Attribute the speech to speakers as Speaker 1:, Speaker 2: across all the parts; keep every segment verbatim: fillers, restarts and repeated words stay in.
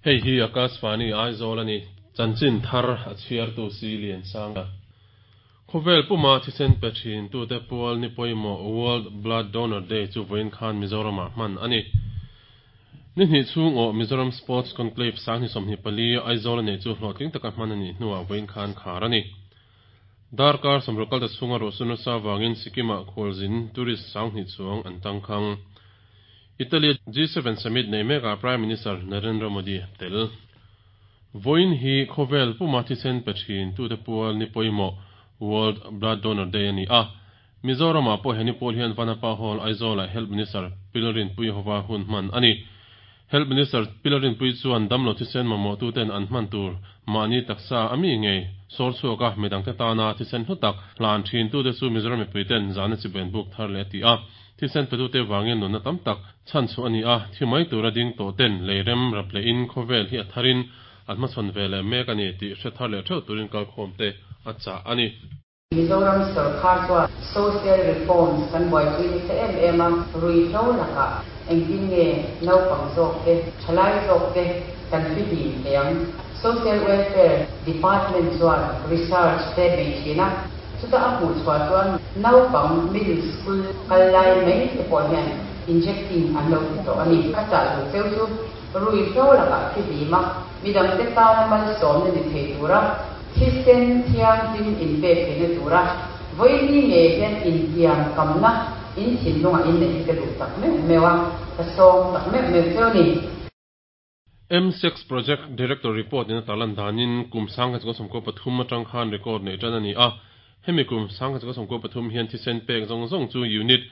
Speaker 1: Hei hi Akashvani Aizawl a ni. Chanchin thar a chhiartu si lian sang. Khawvel puma thisen pe thin tute pual ni pawimawh World Blood Donor Day chu vawiin khan Mizoramah hman a ni. Ni hnih chhung awh Mizoram Sports Conclave sanghnih sawmhnih pali Aizawl a nei chu hlawhtling taka hman a nih hnuah vawiin khan khar a ni. Darkar sawmruk kalta chhunga ruah sur nasa avangin Sikkim-ah khualzin tourist sanghnih chuang an tangkhang. Italy G seven Summit nei mekah Prime Minister Narendra Modi tel. Vawiin hi khawvel puma thisen pe thin tute pual ni pawimawh World Blood Donor Day a ni a. Mizoramah pawh heni pawl hian Vanapa Hall Aizawlah Health Minister Pilarinpui hova hun hman a ni. Health Minister Pilarinpui chuan damlo thisen mamawh tuten an hman tur mahni taksa a mi ngei sawr chhuak a midangte tana thisen hlu tak hlan thin tute chu Mizoram mipuiten zana chiben buk thar leh a ti a. Thisen petute vangin nunna tam tak chhan chu a ni a, thi mai tura ding tawh ten leirem rap lehin khawvel hi a tharin an hmachhawn ve leh mek a ni tih hre thar leh theuh turin kalkhawm te a chah a ni.
Speaker 2: Mizoram sarkar chuan social reforms kan buaipui nasa em em a, ruihhlo lakah engtin nge naupang zawk te, thalai zawk te kan fihlim thei ang. Social Welfare Department chuan research te bei thin a, chuta a hmuh chhuah chuan naupang middle school kal lai mai te pawh hian injecting an lo ti tawh a ni. Ka chah duh cheu chu ruihhlo lakah fihlim a, midangte tana malsawmna ni thei tura thisen thianghlim inpek theihna tura vawiin nge hian intiam kamna in thinlungah in neih hi ka duh tak meuh meuh a, ka sawm tak meuh meuh cheu ni.
Speaker 1: M six Project Director report in a tarlan danin kum sangkhat chukua sawmkua pathum atang khan record nei tan a ni a. Hemi kum sangkhat chukua sawmkua pathum hian thisen pek zawng zawng chu unit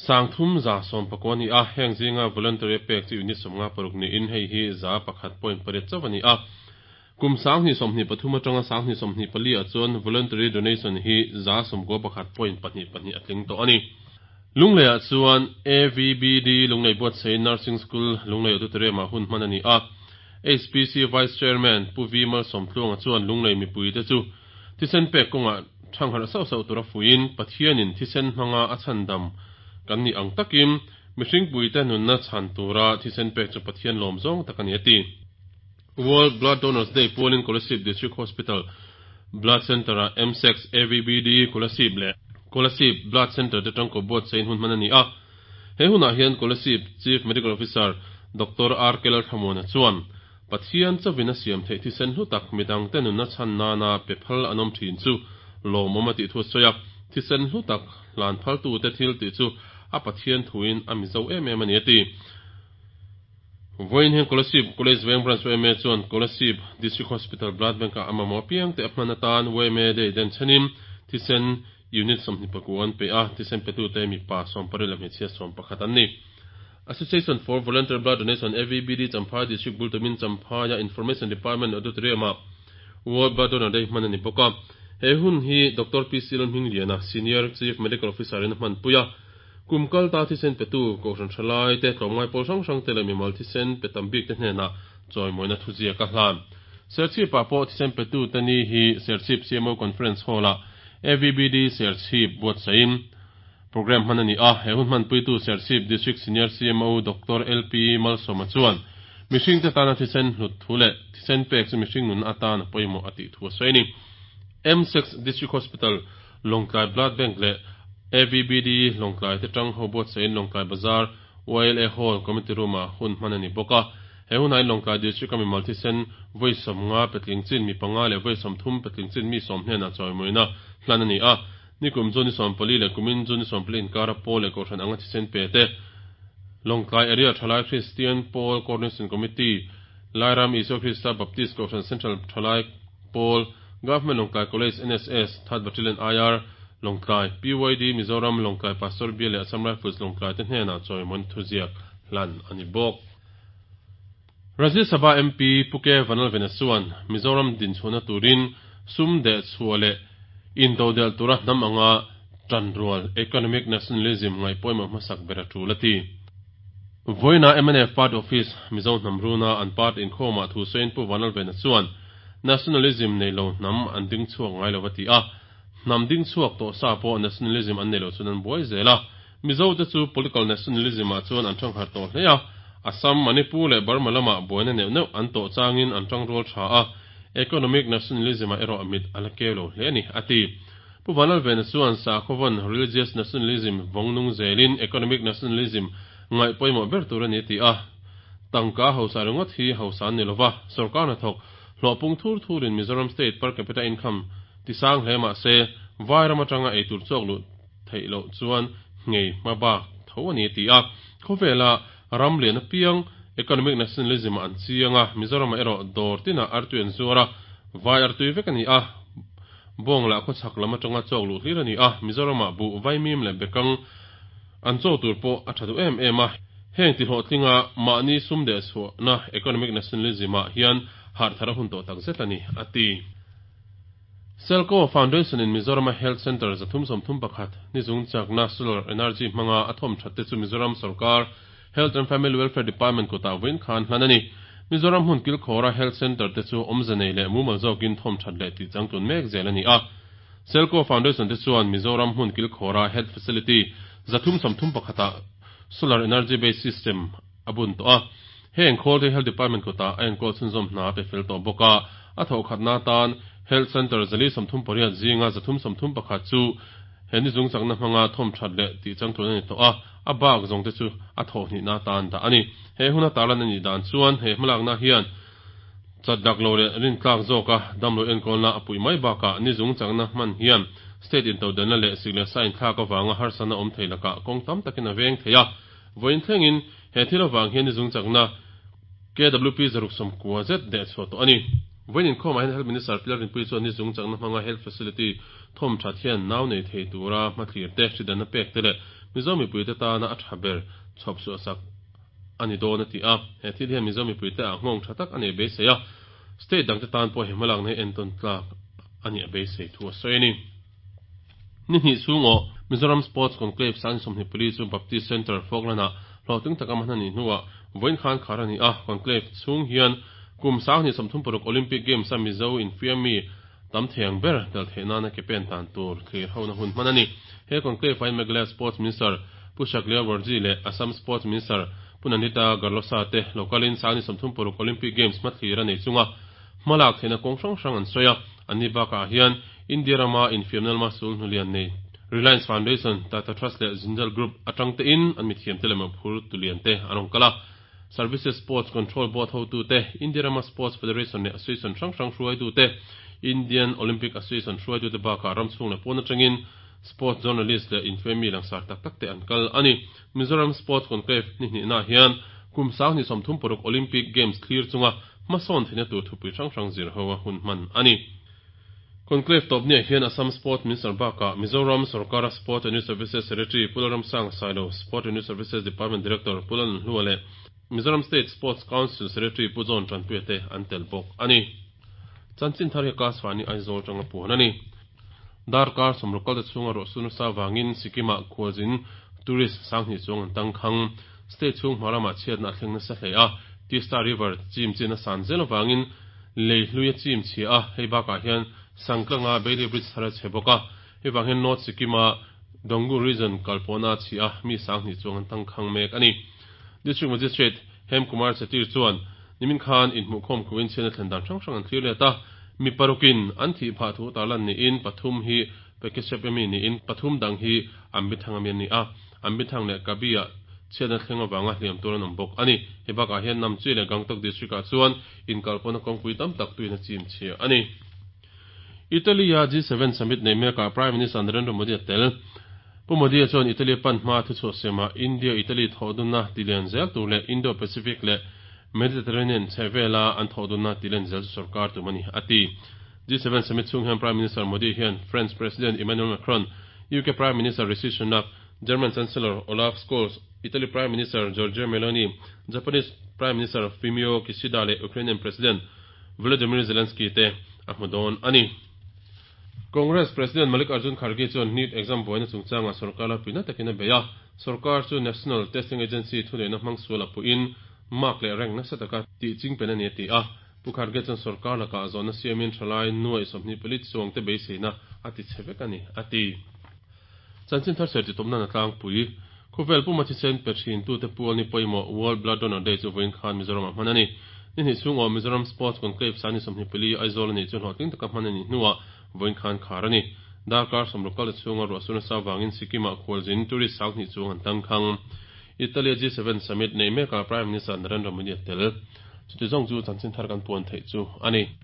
Speaker 1: sangthum za sawm pakua a ni a. Heng zinga voluntary pek chu unit sawmnga paruk niin hei hi za pakhat point pariat chauh a ni a. Kum sanghnih sawmhnih pathum atanga sanghnih sawmhnih pali ah chuan voluntary donation hi za sawmkua pakhat point pahnih pahnih a tling tawh a ni. Lungleiah chuan A V B D Lunglei Buatsaih Nursing School Lunglei Auditorium-ah hun hman a ni a. H P C Vice Chairman Pu V Malsawmtluanga chuan Lunglei mipuite chu thisen pek kawngah thangharh sauh sauh tura fuiin Pathianin thisen hmanga a chhandam kan ni ang takin mihringpuite nunna chhan tura thisen pek chu Pathian lawm zawng tak a ni a ti. World Blood Donors Day pualin Kolasib District Hospital Blood Center-ah M six A V B D Kolasib leh Kolasib Blood Center te tangkaw buatsaih hun hman a ni a. He hunah hian Kolasib Chief Medical Officer Doctor R K Lalthlamuana chuan Pathian chawin a siam theih thisen hlu tak midangte nunna chhan nana pe phal an awm thin chu lawmawm a tih thu a sawi a. Thisen hlu tak hlan phaltute thil tih chu a Pathian thuin a mizo em em a ni a ti. Vawiin hian Kolasib College Veng Branch Y M A chuan Kolasib District Hospital Blood Bank-ah a mamawh apiang te a hman atan Y M A Day den chhenin thisen unit sawmhnih pakua an pe a, thisen petute mipa sawm pariat leh hmeichhia sawm pakhat an ni. Association for Voluntary Blood Donation A V B D Champhai District Bultumin Champhaia Information Department Auditorium-ah World Blood Donor Day hman a ni bawk a. He hun hi Doctor P C Lalhmingliana, Senior Chief Medical Officer in a hmanpui a. Kum kalta thisen petu kohhran thalai te tlawmngai pawl hrang hrang te leh mimal thisen pe tam bik te hnenah chawimawina thuziak a hlan. Serchhip-ah pawh thisen petu te ni hi Serchhip C M O Conference Hall-ah A V B D Serchhip buatsaihin program hman a ni a. He hun hmanpuitu Serchhip District Senior C M O Doctor L P Malsawma chuan mihring te tana thisen hlut thu leh thisen pek chu mihring nun atan a pawimawh a tih thu a sawi a ni. M six District Hospital Lawngtlai Blood Bank leh A V B D Lawngtlai te tang ho buatsaihin Lawngtlai Bazar Y L A Hall Committee Room-ah hun hman a ni bawk a. He hunah hian Lawngtlai District-a mimal thisen vawi sawmnga petling chin mi panga leh vawi sawmthum petling chin mi sawm hnenah chawimawina hlan a ni a. Nikum chu ni sawm pali leh kumin chu ni sawm pali inkara pawl leh kohhran anga thisen pe te Lawngtlai Area Thalai Christian Pawl Coordination Committee, Lairam Isua Krista Baptist Kohhran Central Thalai Pawl, Government Lawngtlai College N S S, Third Battalion I R, Lawngtlai, P Y D Mizoram Lawngtlai Pastor Bial leh Assam Rifles Lawngtlai te hnenah chawimawina thuziak hlan a ni bawk. Rajya Sabha M P Puke Vanlalvena chuan Mizoram dinchhuahna turin sum deh chhuah leh intodelh tura hnam anga tanrual economic nationalism ngaih pawimawh hmasak ber a tul a ti. Vawiina M N F Party Office Mizo hnam runa an party inkhawmah thu sawiin Pu Vanlalvena chuan nationalism nei lo hnam an ding chhuak ngai lo a ti a. Hnam ding chhuak tawh sa pawh nationalism an nei lo chuan an buai zel a. Mizo te chu political nationalism ah chuan an thangharh tawh hle a. Assam, Manipur leh Burma lama buaina neuh neuh an tawh changin an tangrual tha a, economic nationalism-ah erawh mit a la keu lo hle a ni, a ti. Pu Vanlalvena chuan sakhaw religious nationalism vawng nung zelin economic nationalism ngaih pawimawh ber tur a ni ti a, tangka hausa ringawt hi hausa an ni lova, sorkar hnathawk hlawh pung thur thurin Mizoram state per capita income tisang hle mah se vairam atanga eitur chawk luh theih loh chuan nghei hmabak tho a ni ti a, khawvela ram lian apiang economic nationalism an chianga Mizoram erawh dawr tina artui an zuara vai artui vek ani a, bawng lah khawchhak lam atanga chawk luh hlir ani a, Mizoram ah buh vaimim leh bekang an chaw tur pawh a tha duh em em a, heng ti hlawhtlinga mahni sum deh chhuahna economic nationalism ah hian harh thar a hun tawh tak zet ani a ti. Selco Foundation in Mizoram Health Center zathum sawmthum pakhat nizung chakna solar energy hmanga a thawm that te chu Mizoram sarkar Health and Family Welfare Department kutah vawiin khan hlan a ni. Mizoram hmun kilkhawra Health Center te chu awmze nei leh mumal zawkin thawm that leh tih changtlun mek zel a ni a. Selco Foundation te chuan Mizoram hmun kilkhawra Health Facility zathum sawmthum pakhata solar energy based system a bun tawh a, heng khawl te Health Department kutah a enkawl chhunzawm hna pe fel tawh bawk a, a thawh khatna tan Health Center zali sawmthum pariat zinga zathum sawmthum pakhat chu he nizung chakna hmanga thawm that leh tih changtlun a ni tawh a, a bak zawng te chu a thawh hnihna tan dah a ni. He huna tarlan a nih dan chuan he hmalakna hian chat dak lo leh rin tlak zawka damlo enkawlna a pui mai bakah nizung chakna hman hian state intodelhna leh sik leh sa inthlak avanga harsatna awm thei lakah kawng tam takin a veng thei a, vawiin thlengin he thil avang hian nizung chakna K W P zaruk sawmkua zet deh chhuah tawh a ni. Vawiin inkhawmah hian Health Minister Pilar Rinpui chuan nizung chakna hmanga health facility thawm that hian nau nei thei tura hmathlir te hridanna pek te leh Mizo mipui te tana a tha ber chhawp chhuah sak a ni dawn a ti a, he thil hian Mizo mipui te ah nghawng tha tak a nei beisei a, state dang te tan pawh he hmalakna hi entawn tlak a ni a beisei thu a sawi a ni. Ni hnih chhung aw Mizoram Sports Conclave sang sawmhnih pali chu Baptist Center Falkland-ah hlawhtling taka hman a nih hnuah vawiin khan khar a ni a, conclave chhung hian kum sanghnih sawmthum paruk Olympic Games a Mizo infiammi tam theiang ber tel theih nana ke pen tan tur thlir hona hun hman a ni. He conclave ah hian Meghalaya Sports Minister Pu Shaklia Warji leh Assam Sports Minister Pu Nandita Garlosa te localin sanghnih sawmthum paruk Olympic Games hmathlir a nei chunga hmalak theihna kawng hrang hrang an sawi a, anni bakah hian India rama infiamna lama sul hnulian nei Reliance Foundation, Tata Trust leh Jindal Group atang te in an mithiam te leh mawhphur tulian te an awm kal a. Services Sports Control Board hotu te, India rama Sports Federation leh Association hrang hrang hruaitu te, Indian Olympic Association hruaitu te bakah ram chhung leh pawn atangin sports journalist leh infiammi langsar tak tak te an kal a ni. Mizoram Sports Conclave ni hnihna hian kum sanghnih sawmthum paruk Olympic Games thlir chunga hmasawn theihna tur thupui hrang hrang zir ho a hun hman a ni. Conclave tawp ni hian Assam Sport Minister bakah Mizoram Sarkara Sport and Youth Services Secretary Pu Lalramsanga Sailo, Sport and Youth Services Department Director Pu Lalnhlua leh Mizoram State Sports Council Secretary Pu John Tanpuia te an tel bawk a ni. Chanchin thar hi Akashvani Aizawl tanga puan a ni. Darkar sawmruk kal te chhunga ruah su nasa wangin Sikkim-ah khualzin tourist sanghnih chuang an tangkhang. State chhung hma lamah chhiatna a thleng nasa hle a, Tista River chim chin a san zel awangin lei hlui a chim chhia a, hei bakah hian Sangtlanga Bailey Bridge thar a chhe bawk a, hei vang hian North Sikkim-a Donggu region kalpawhna a chhi a, mi sanghnih chuang an tangkhang mek a ni. District Magistrate Hem Kumar Chetty chuan nimin khan inhmuhkhawm khuin chhiatna thlen dan hrang hrang an thlir let a, mi parukin an thih phah thu tarlan niin pathum hi Pekeshep emi niin pathum dang hi Ambithang ami an ni a, Ambithang leh Kabi-ah chhiatna thleng awanga hliam tur an awm bawk a ni. Hei bakah hian Namchi leh Gangtok district-ah chuan inkalpawhna kawngpui tam tak tuin a chim chhia a ni. Italy-a G seven summit nei mekah Prime Minister Narendra Modi a tel. Pu Modi chuan Italy pan hma thuchhuah siamah India Italy thawhdunna tilian zel tur leh Indo-Pacific leh Mediterranean chhehvela an thawhdunna tilian zel chu sarkar tum a ni a ti. G seven summit chhung hian Prime Minister Modi hian French President Emmanuel Macron, U K Prime Minister Rishi Sunak, German Chancellor Olaf Scholz, Italy Prime Minister Giorgia Meloni, Japanese Prime Minister Fumio Kishida leh Ukrainian President Volodymyr Zelensky te a hmu dawn a ni. Congress President Mallikarjun Kharge chuan NEET exam buaina chungchanga sarkar la puina takin a bei a, sarkar chu National Testing Agency thuneihna hmang sual a puhin mark leh rank nasa taka tih ching pen a ni a ti a, Pu Kharge chuan sarkar lakah zawhna siamin thalai nuai sawmhnih pali chuang te beiseina a ti chhe vek a ni a ti. Chanchin thar ser ti tawpna na tlangpui Khawvel puma thisen pe thin tute pual ni pawimawh World Blood Donor Day chu vawiin khan Mizoramah hman a ni. Ni hnih chhung awh Mizoram Sports Conclave Sangni sawmhnih pali Aizawl a ni chu hlawhtling taka hman a nih hnuah vawiin khan khar a ni. Darkar sawmruk kal chhunga ruah sur nasa avangin Sikkim-ah khualzin tourist sanghnih chuang an tangkhang. Italy G seven summit nei mekah Prime Minister Narendra Modi a tel. Chuti zawng chu chanchin thar kan puan theih chu a ni.